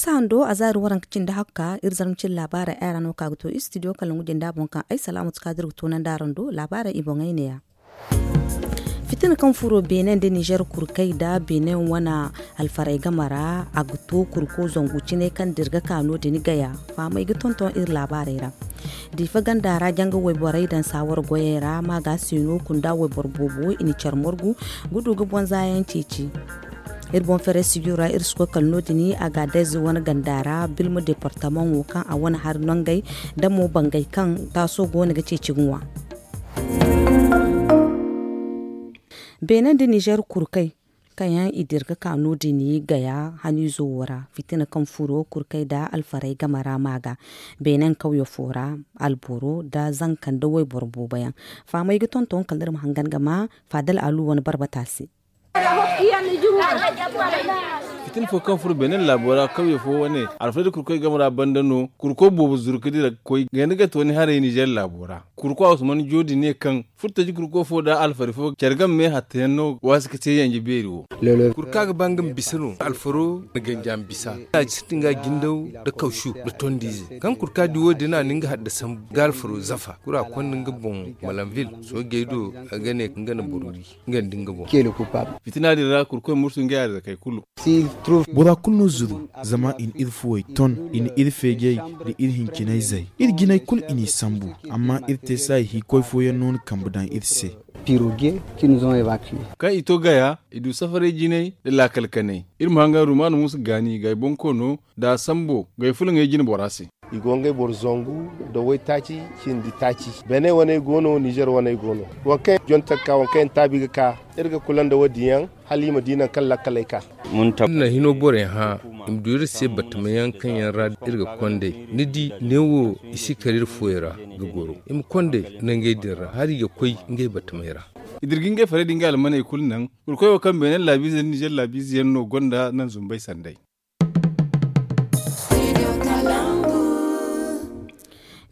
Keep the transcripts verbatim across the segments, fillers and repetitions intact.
Marsa hando a zaari waranka cindi hakka iri zarma cindi laabaarey ay ra no ka ga to istidiyo kala ngu janda boŋ kaŋ ay salaamatu kaadir ga toonandi araŋ do laabaarey i boŋey neeya. Fitina kaŋ furo beene nda nizer kurkey nda beene wane alfarey game ra a ga to kurko zangu cine kaŋ dirga ka no- din gaya. Fahamey ga tonton iri laabaarey ra. Diifa ganda ra janga wayborey daŋ saawar goyey ra ma ga se no kunda wayboro boobo i na care margu ga du ga boŋ zaayaŋ ceeci. Iri boŋ ferey sijura iri si koy kala no- din a ga dayze wane ganda ra bilma departamaŋo kaŋ a wane hari nongey da mo bangey kaŋ taaso go no ga ceeci ga ŋwa. Beene nda nizer kurkey kaŋ yaŋ i dira ga ka no- din gaya haniizo wo ra fitina kaŋ furo kurkey nda alfarey game ra ma ga beene kawye fo ra alboro nda zanka nda wayboro boobo yaŋ. Fahamey ga tonton kala iri ma hangan ga ma faadal alu wane barbata se. Fitina fo kaŋ furo beene laabo ra kawye fo wane alfarey da kurkey game ra banda no kurko boobo zuru ga dira ga koy ganda gate wane haray nizer laabo ra. Kurko a usman joodi ne kaŋ furtaji kurko fo nda alfari fo care game me hattayaŋ no waasi ga te yanje beeri wo. Kurka ga ba nga ma bisa no alfaro na ganja ma bisa. A ga sintin ga jindaw nda kawsu nda tondiize kaŋ kurka di wo- din a na nga hadda sambu ga alfaro zafa kura konda nga boŋ malanvil soojey do a ga ne nga na boro ri nga nda nga boŋ. Fitina din ra kurkoy mursu ngey arzakey kulu. Bora kulu no zuru zama i na iri fuwey ton, i na iri feejey nda iri hincinayzey. Iri jinay kulu i n'i sambu, amma iri te se hay hiikoy fooyaŋ no na kambe daŋ iri se. Kaŋ i to gaya i du safaray jinay nda laakal kanay. Iri ma hangan rumaana muusa gaani gay bonkoono nda a sambo gay fulaŋey jine bora se. I go ngey boro zangu nda waytaaci cindi taaci. Beene waney go no nizer waney go no. Waŋ kaŋ yaŋ jonte ga ka waŋ kaŋ yaŋ taabi ga ka iri ga kula nda wo- din yaŋ hala i ma di nangu kaŋ lakkaley ka. Iri na hino borey hã i ma du iri se batamayaŋ kaŋ yaŋ ra iri ga kond'ey. Ni di neewo i si kar iri fuwey ra ga goro i ma kond'ey nangey din ra hala i ga koy ngey batamey ra. I dira ga ngey farey da ngey almaney kulu naŋ. Kurkoy wo kaŋ beene laabiize nda nizer laabiize yaŋ no gonda naŋ zumbey sanday.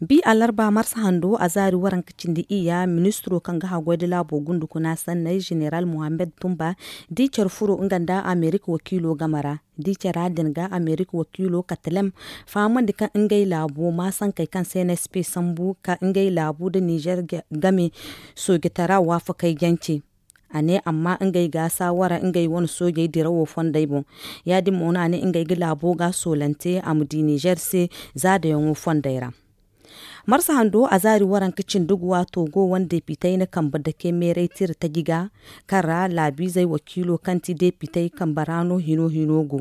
Bi alarba marsa hando a zaari waranka cindi iyya ministiro kaŋ ga haggoy da laabo gundukuna sanney zeneral mohammed tumba di care furo nga nda amerika wakiilo game ra. Di cara din ga amerika wakiilo katalem fahamandi kaŋ ngey laabo ma sankey kaŋ cnsp sambu ka ngey laabu nda nizer game soojitara waafakey jance. A ne amma ngey ga saawara ngey wane soojey dirawo fondey boŋ. Ya- din mo no a ne ngey ga laabo ga soolante a ma di nizer se zaadayaŋo fondey ra. Marsa hando a zaari waranka cindi guwa togo wane depitey na kambe dake meeray tira taji ga kaŋ ra laabiizey wakiilo kaŋ ti depitey kambe ra no hino hino go.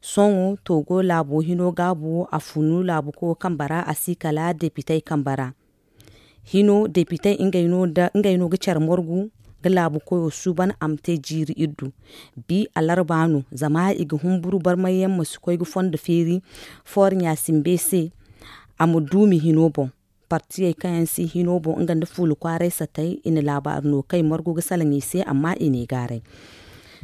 Sohõ togo laabo hino gaabu a funu laabu koyo kambe ra a si kala depitey kambe ra. Hino depitey ngey no ga care margu ga laabu koyo suuban a ma te jiiri iddu. Bi alarba no zama i ga humburu barmayyaŋ ma si koy ga fondo feeri fooro ɲaasimbe se. A ma duumi hino boŋ partiyey kaŋ yaŋ si hino boŋ nga nda fuula kwaaray satey i na laabaari no kaŋ i margu ga salaŋ i se amma i n'i gaaray.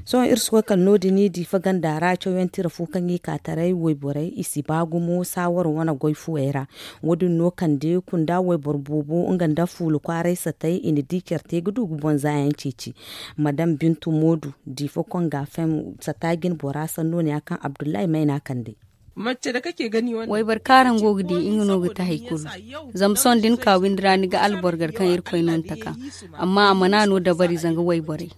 Sohõ iri si koy kala no- din diifa ganda ra cawyaŋ tira fo kaŋ i ka taray wayborey i si ba gumo saawaro wane goy fuwey ra. Wo- din no kande kunda wayboro boobo nga nda fuula kwaaray satey i na di care te ga du ga boŋ zaayaŋ ceeci. Madam bintu moodu diifa konga fem sata jine bora sanno ne ya kaŋ abdullahi mayna kande. Wayboro kaŋ araŋ go ga di nga no ga ti hari kulu. Zama sohõ da ni ka windi ra ni ga alboro gar kaŋ irkoy no ni taka. Amma a mana no dabari zanga wayborey.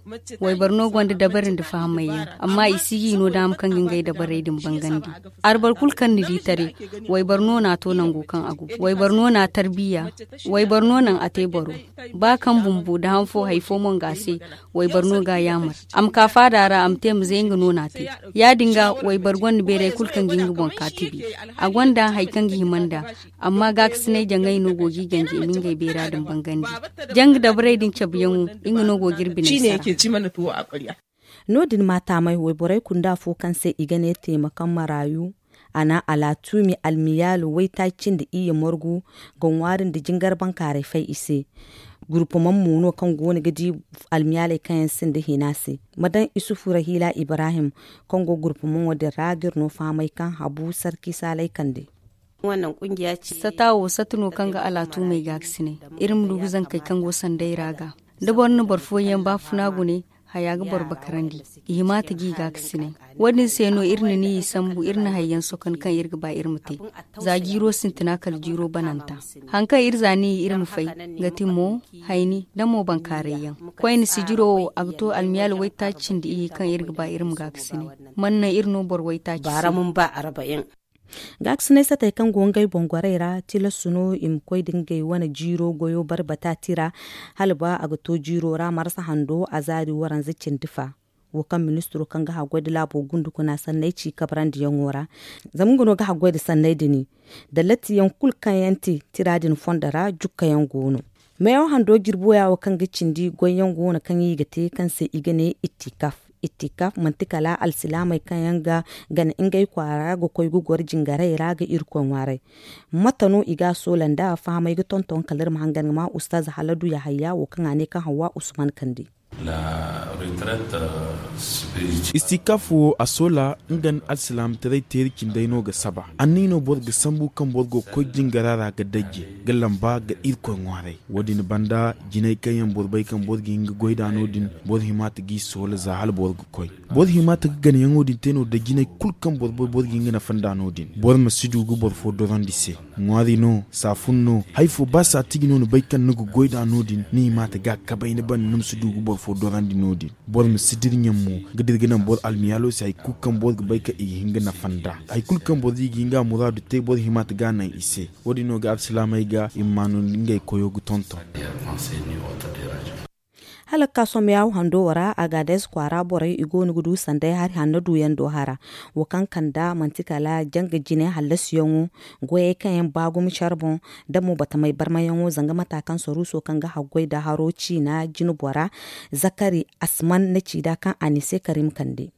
Wayboro no gonda dabari nda fahamay yaŋ amma i si ga i no daama kaŋ ga ngey dabarey din bangandi. Arboro kulu kaŋ ni di tare wayboro no na a to nango kaŋ a go. Wayboro no na a tarbiya. Wayboro no naŋ a te boro. Ba kaŋ bumbo nda han fo hari fo mo nga se. Wayboro no ga a yaamar a ma ka faada ra a ma te ma ze nga no na a te. Ya- din ga wayboro gonda beeray kulu kaŋ ga nga boŋ ka tibi. A gonda hari kaŋ ga hima nd'a. Amma gaakasinay jaŋay no go ga i ganji i ma ngey beera din bangandi. Janga dabarey din cabeyaŋo nga no go ga iri bine sara. No- din ma taamay wayborey kunda fo kaŋ se i ga ne teemakan maraayu. A na alaatumi almiyaalo waytaaci nda iyye margu ga ŋwaari nda jingar bankaaray fay i se. Gurpamaŋ mo no kaŋ go no ga di almiyaaley kaŋ yaŋ sinda hina se. Ma daŋ isufu rahiila ibrahim kaŋ go gurpamaŋo din ra ga iri no fahamay kaŋ habu sarki saalay kande. Sata wo sata no kaŋ ga alaatumey gaakasinay. Iri ma du ga zankey kaŋ go sanday ra ga da boro na boro fooyaŋ baafuna gune. Haya ga boro bakarandi. I hima ta ga i gaakasinay. Wo- din se no iri na ni i sambu, iri na hayyaŋ sokan kaŋ iri ga ba iri ma te. Za jiiro sintina kala jiiro bananta. Hari kaŋ iri za ni i iri ma fay, ga ti mo, hayni nda mo bankaaray yaŋ. Koyne sijiro wo a ga to almiyaali waytaaci cindi iyye kaŋ iri ga ba iri ma gaakasinay. Man naŋ iri no boro waytaaci se. Gaakasinay satey kaŋ go ngey boŋ gorey ra, tilas no i ma koy nda ngey wane jiiro goyo barbata tira, hala ba a ga to jiiro ra marsa hando a zaari waranza cindi fa. Wo kaŋ ministiro kaŋ ga haggoy nda laabo gundukuna sanney ci kabrandiyaŋo ra. Zama nga no ga haggoy nda sanney din. Nda lattiyaŋ kulu kaŋ yaŋ te tira din fondo ra jukkayaŋ go no. Meewo hando jirbo ya wo kaŋ ga cindi goyyaŋ go no kaŋ i ga te kaŋ se i ga ne ittikaf. Ittikaf manti kala alsilaamey kaŋ yaŋ ga gana ngey kwaara ga koy ga goro jingarey ra ga irkoy ŋwaaray. Mate no i ga a soola nda fahamey ga tonton kala iri ma hangan ga ma ustaz haladu yahaya wo kaŋ a ne kaŋ hawa usman kande. Istikaf wo a soola nga nda alsilaamataray teeri cindey no ga saba. Anniya no boro ga sambu kaŋ boro go ga koy jingara ra ga dajje ga lamba ga irkoy ŋwaaray. Wo- din banda jinay kaŋ yaŋ boro bay kaŋ boro ga hin ga goy nd'a no- din, boro hima ta g'i soola za hala boro ga koy. Boro hima ta ga ganayaŋo din te no nda jinay kulu kaŋ boro bay boro ga hin ga nafa nd'a no- din. Boro ma si du ga boro fo dorandi se. Ŋwaari no, saafun no, hari fo ba saatiji no ni bay kaŋ ni ga goy nd'a no- din, ni hima ta ga kabay ni banda ni ma si du ga boro fo dorandi no- din. Boro ma si dira ɲaŋ mo ga dira ga naŋ boro almiyaalo se hari kulu kaŋ boro ga bay kaŋ i ga hin ga nafa nd'a. Hari kulu kaŋ boro di ga hin ga a muraadu te boro hima ta ga a naŋ i se. Wo- din no ga alsilaamey ga i ma maanu ngey koyo ga tonton. Hala ga ka sohõ meeyaw hando wo ra, agaades kwaara borey i go no ga du sanday hari hanno duyaŋ do hara. Wo kaŋ kanda manti kala janga jine hallasiyaŋo, goyey kaŋ yaŋ ba gumo care boŋ, da mo batamey barmayaŋo zanga mata kaŋ saruuso kaŋ ga haggoy nda haro ciina jine bora, zakari asman na ci nd'a kaŋ a n'i se karim kande.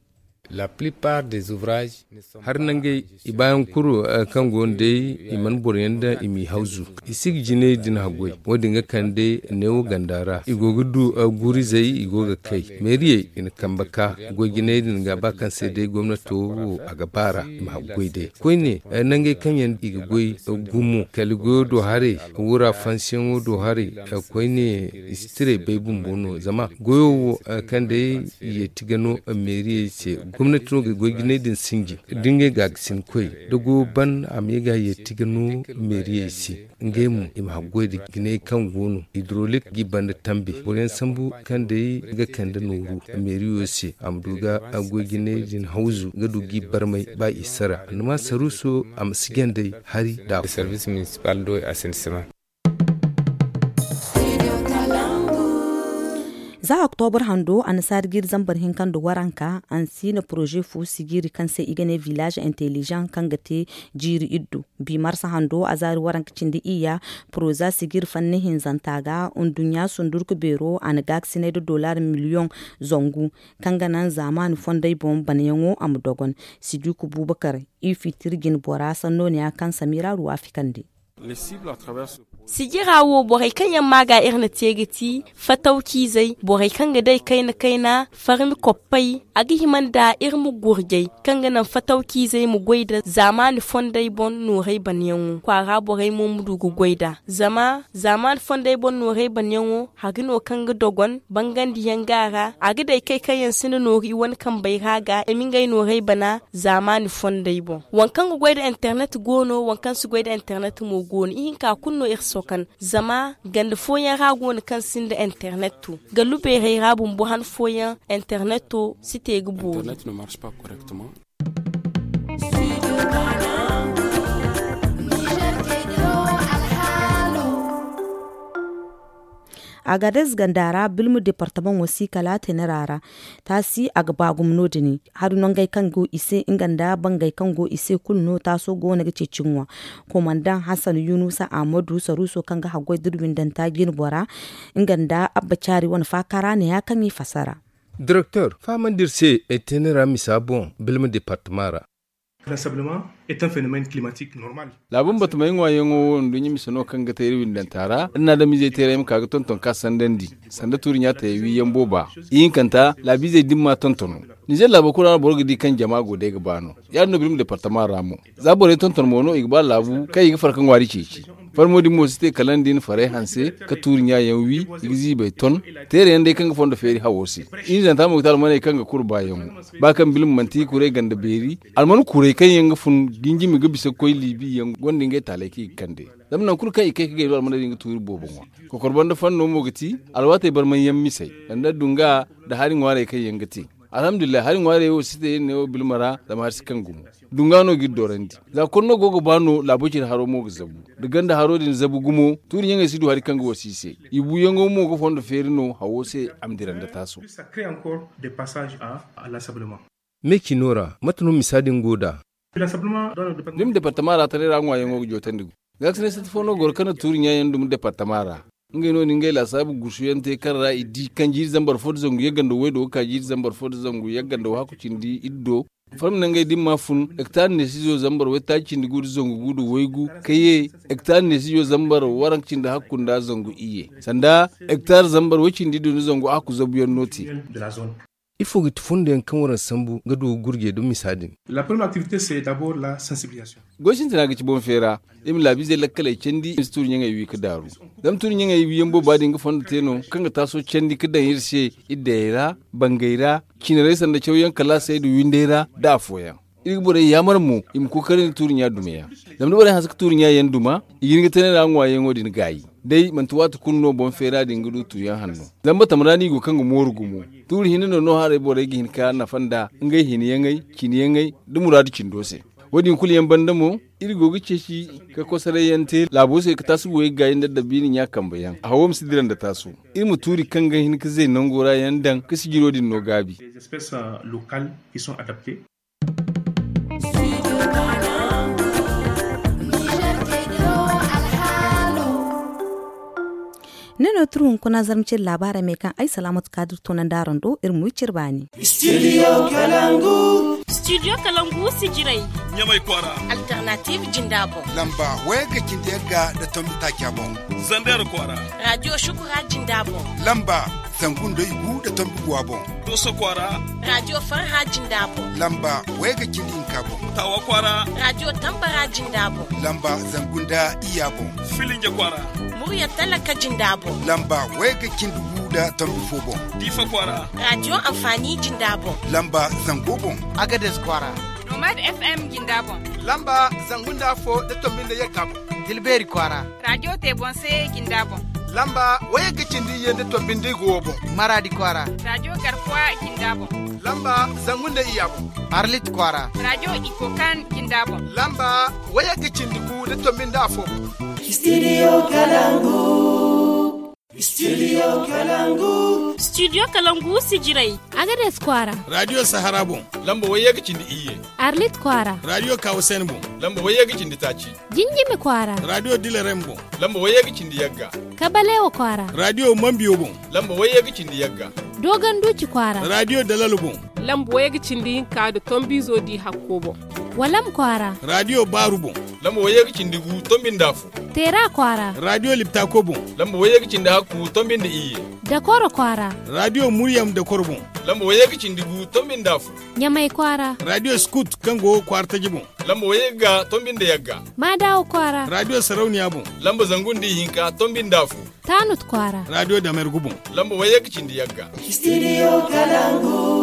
Hari nangey i baayaŋ kulu kaŋ go no day, i mana boroyaŋ daŋ i m'i hawzu. I si ga jinay din haggoy. Wo- din ga kande neewo ganda ra i go ga du guurizey i go ga kay. Meeriyey i na kambe ka goy jinay din ga ba kaŋ se day gomnato wo a ga baar'a i ma haggoy day. Koyne nangey kaŋ yaŋ i ga goy gumo kala goyo do haray, wura fansiyaŋo do haray. Koyne i si tiray bay bumbo no zama goyo wo kaŋ day yeeti ga no meeriyey se. Gomnati no ga goy jinay din sinji da ngey ga ga sinkoy da goyo ban a ma ye ga yeeti ga no meeriyey se. Ngey mo i ma haggoy da jinay kaŋ go no hidrolik g'i banda tambe boroyaŋ sambu kaŋ day ga kande nooru meeriyo se a ma du ga goy jinay din hawzu ga du g'i barmay ba i sara annama saruuso a ma si gandey hari nda. Za oktobur hando annasaari jiiri zambar hinka nda waranka ansiina poroze fo sijiiri kaŋ se i ga ne village intelligent kaŋ ga te jiiri iddu. Bi marsa hando azaari waranka cindi iyya poroza sijiiri fanni hinzanta ga nduɲɲa sundurku beero a na gaakasinay nda dollar miliyoŋ zangu kaŋ ga naŋ zaamaani fondey boŋ banayaŋo a ma dogon. Sidiku bubakar i fitir jine bora sanno ne ya kaŋ samira ruwa fikandi. Sijira wo borey kaŋ yaŋ ma ga iri na te ga ti fatawciizey borey kaŋ ga day kayna kayna farmi koppey a ga hima nda iri ma gurjay kaŋ ga naŋ fatawciizey ma goy nda zaamaani fondey boŋ noorey banyaŋo kwaara borey mo ma du ga goy nd'a zama zaamaani fondey boŋ noorey banyaŋo hari no kaŋ ga dogon bangandiyaŋ ga a ra a ga day kay kaŋ yaŋ sinda nooru i wane kambey ra ga i ma ngey noorey bana zaamaani fondey boŋ. Waŋ kaŋ ga goy nda internet go no waŋ kaŋ si goy nda internet mo go no ihinka kulu no iri sokan zama ganda fooyaŋ ra go no kaŋ sinda internet to gallu beerey ra bumbo han fooyaŋ internet to si te ga boori. Agadez ganda ra bilma departamaŋo si kala tenera ra taasi a ga ba gumo no- din hari nangey kaŋ go i se nga nda bangey kaŋ go i se kulu no taaso go no ga ceeci ŋwa. Komandaŋ hasan yunusa ahmadu saruuso kaŋ ga haggoy da windanta jine bora nga nda abba caari wane faaka ra ne ya kaŋ i fasara. Direktor fahamandi iri se tenera misa boŋ bilma departama ra. Laabu batamey ŋwaayaŋo wo nduɲɲa mise no kaŋ ga te iri windanta ra iri na adamizey teeray ma ka ga tonton ka sandandi sanda tuuri ɲaatayey wiiyaŋ booba. Ihinkanta laabiizey dimma tontono nizer laabo kulu ra no boro ga di kaŋ jama go day ga ba no. Ya- din no birma departama ra mo za borey tonton mo no i ga ba laabu kaŋ i ga farka ŋwaari ceeci. Barmo din mo si te kala nda i na farey hanse ka tuuri ɲa yaŋ wi. I ga ziibey ton teere yaŋ day kaŋ ga fondo feeri hawo se. I na zanta mo ga te almaney kaŋ ga kuru baayaŋo ba kaŋ bilma manti i kuray ganda beeri. Alman kuray kaŋ yaŋ ga fun jinjimi ga bisa ga koy liibi yaŋ gonda ngey taalay kaŋ i ga kande. Zama nangu kulu kaŋ i kay ga gay no almaney din ga tuuri boobo ŋwa. Kokor banda fanno mo ga ti alwaatey barmanyaŋ misey sanda dunga nda hari ŋwaarey kaŋ yaŋ ga te. Alhamdulillahi hari ŋwaarey wo si te iri ne wo bilma ra zama hari si kaŋ gumo. Dunga no ga iri doorandi za konno go ga ba no laabo cine haro mo ga zabu. Da ganda haro din zabu gumo tuuri ɲaŋey si du hari kaŋ ga wasi i se. I buuyaŋo mo ga fondo feeri no hawo se a ma dira nda taaso. Me cino ra mate no misa din go nd'a? Dumi departama ra taray ra ŋwaayaŋo ga jootandi gu. Gaakasinay sata fo no goro kaŋ na tuuri ɲaayaŋ dumi departama ra. Ngey no na ngey laasaabu gusuyaŋ te kaŋ ra i di kaŋ jiiri zambar fo nda zangu yagga nda waydo ga ka jiiri zambar fo nda zangu yagga nda wahakku cindi iddo. Farma nangey da i ma fun hektar neesizo zambar waytaaci cindi gu nda zangu gu nda waygu ka ye hektar neesizo zambar waranka cindi hakku nda zangu iyye sanda hektar zambar way cindi iddo nda zangu hakku zabuyaŋ no te. Ifo ga ti fundoyaŋ kaŋ waraŋ sambu ga du ga gurjey da misa din? Goy sintina ga ci boŋ feera. Iri ma laabiizey lakkaley candi i ma si tuuri ɲaŋey wi ga daaru. Zama tuuri ɲaŋey wiyaŋ booba din ga fondo te no kaŋ ga taaso candi ga daŋ iri se iddayey ra, bangey ra, cinarey sanda cawyaŋ kalaasey nda windey ra nda afooyaŋ. Iri ga borey yaamar mo i ma kookari nda tuuri ɲa dumayaŋ. Zama da borey hanse ga tuuri ɲa yaŋ duma i ga hin ga tanay ra ŋwaayaŋo din gaayi. Day manti waati kulu no boŋ feera din ga du tuuyaŋ hanno. Zama batama ra no i go kaŋ ga mooru gumo. Tuuri hinne no no haray borey ga hin ka nafa nd'a ngey hinayaŋey, cinayaŋey, nda muraadu cindo se. Wo- din kulu yaŋ banda mo iri go ga ceeci ka kosorayyaŋ te laabo se ka taasu buwey gaayi nda addabiina ɲa kambe yaŋ a hawo ma si dira nda taasu. Iri ma tuuri kaŋ ga hin ka zay nango ra yaŋ daŋ ka sijiro din no gaabi. Ne no turu hunkuna zarma cire laabaarey me kaŋ ay salaamatu kaadir toonandi araŋ do iri ma wi cire baani. Studio kalangu. Studio kalangu sijirey. Ɲamay kwaara. Alternative jinda boŋ. Lamba wayagga cindi yagga nda tombi taaca boŋ. Zander kwaara. Radio shukura jinda boŋ. Lamba zangu nda igu nda tombi guwa boŋ. Doso kwaara. Radio farha jinda boŋ. Lamba wayagga cindi hinka boŋ. Tawa kwaara. Radio tambara jinda boŋ. Lamba zangu nda iyya boŋ. Filinja kwaara. Murya talaka jinda boŋ. Lamba wayagga cindi gu nda tombi fo boŋ. Diifa kwaara. Radio amfani jinda boŋ. Lamba zango boŋ. Agades kwaara. Nomad FM jinda boŋ. Lamba zangu nda afo nda tombi nda yagga boŋ. Tilbeeri kwaara. Radio te boŋ se jinda boŋ. Lamba wayagga cindi iyye nda tombi nda igu wo boŋ. Maradi kwaara. Radio garkuwa jinda boŋ. Lamba zangu nda iyya boŋ. Arlit kwaara. Radio ikokan jinda boŋ. Lamba wayagga cindi gu nda tombi nda afo boŋ. Studio kalangu. Studio kalangu. Studio kalangu sijirey. Agades kwaara. Radio sahara boŋ. Lamba wayagga cindi iyye. Arlit kwaara. Radio kawasen boŋ. Lamba wayagga cindi taaci. Jinjimi kwaara. Radio dilerem boŋ. Lamba wayagga cindi yagga. Kabalewa kwaara. Radio mambiyo boŋ. Lamba wayagga cindi yagga. Dogonduci kwaara. Radio dalalo boŋ. Lamba wayagga cindi hinka nda tombiizo di hakko boŋ. Walam kwaara. Radio baaru boŋ. Lamba wayagga cindi gu tombi nda afo. Teera kwaara. Radio liptako boŋ. Lamba wayagga cindi hakku tombi nda iyye. Dakoro kwaara. Radio muryam dakoro boŋ. Lamba wayagga cindi gu tombi nda afo. Ɲamay kwaara. Radio skut kaŋ go kwaara taji boŋ. Lamba wayagga tombi nda yagga. Maadawa kwaara. Radio sarauniya boŋ. Lamba zangu nda ihinka tombi nda afo. Taanut kwaara. Radio damergu boŋ. Lamba wayagga cindi yagga. Studio kalangu.